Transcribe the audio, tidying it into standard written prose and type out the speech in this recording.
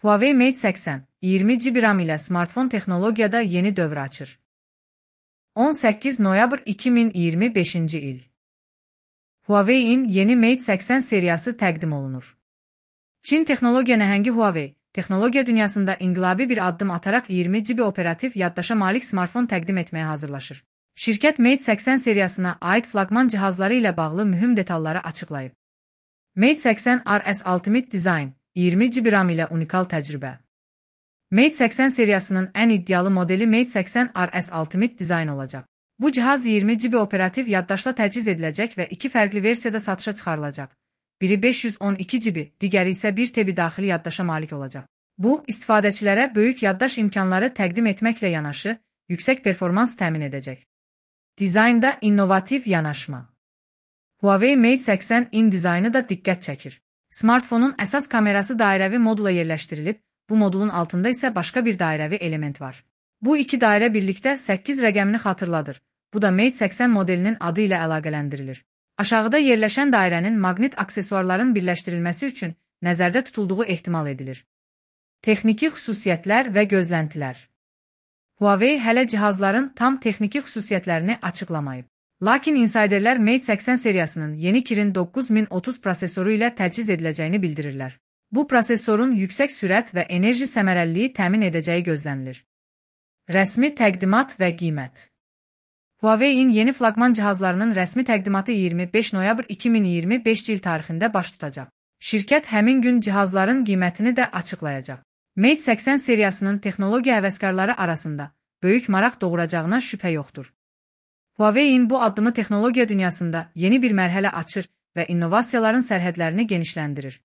Huawei Mate 80, 20 GB RAM ile smartfon texnologiyada yeni dövr açır. 18 noyabr 2025 il. Huawei'in yeni Mate 80 seriyası təqdim olunur. Çin texnologiya nəhəngi Huawei, texnologiya dünyasında inqilabi bir addım ataraq 20 GB operativ yaddaşa malik smartfon təqdim etməyə hazırlaşır. Şirkət Mate 80 seriyasına aid flaqman cihazları ilə bağlı mühüm detalları açıqlayıb. Mate 80 RS Ultimate Design, 20 GB RAM ilə unikal təcrübə. Mate 80 seriyasının ən iddialı modeli Mate 80 RS Ultimate Design olacaq. Bu cihaz 20 GB operativ yaddaşla təchiz ediləcək və iki fərqli versiyada satışa çıxarılacaq. Biri 512 GB, digəri isə 1 TB daxili yaddaşa malik olacaq. Bu, istifadəçilərə böyük yaddaş imkanları təqdim etməklə yanaşı, yüksək performans təmin edəcək. Dizaynda innovativ yanaşma. Huawei Mate 80'in dizaynı da diqqət çəkir. Smartfonun əsas kamerası dairəvi modula yerləşdirilib, bu modulun altında isə başqa bir dairəvi element var. Bu iki dairə birlikdə 8 rəqəmini xatırladır. Bu da Mate 80 modelinin adı ilə əlaqələndirilir. Aşağıda yerləşən dairənin maqnit aksesuarların birləşdirilməsi üçün nəzərdə tutulduğu ehtimal edilir. Texniki xüsusiyyətlər və gözləntilər. Huawei hələ cihazların tam texniki xüsusiyyətlərini açıqlamayıb. Lakin insiderlər Mate 80 seriyasının yeni Kirin 9030 prosesoru ilə təchiz ediləcəyini bildirirlər. Bu prosesorun yüksək sürət və enerji səmərəliliyi təmin edəcəyi gözlənilir. Rəsmi təqdimat və qiymət. Huawei'in yeni flaqman cihazlarının rəsmi təqdimatı 25 noyabr 2025 il tarixində baş tutacaq. Şirkət həmin gün cihazların qiymətini də açıqlayacaq. Mate 80 seriyasının texnologiya həvəskarları arasında böyük maraq doğuracağına şübhə yoxdur. Huawei'in bu addımı texnologiya dünyasında yeni bir mərhələ açır və innovasiyaların sərhədlərini genişləndirir.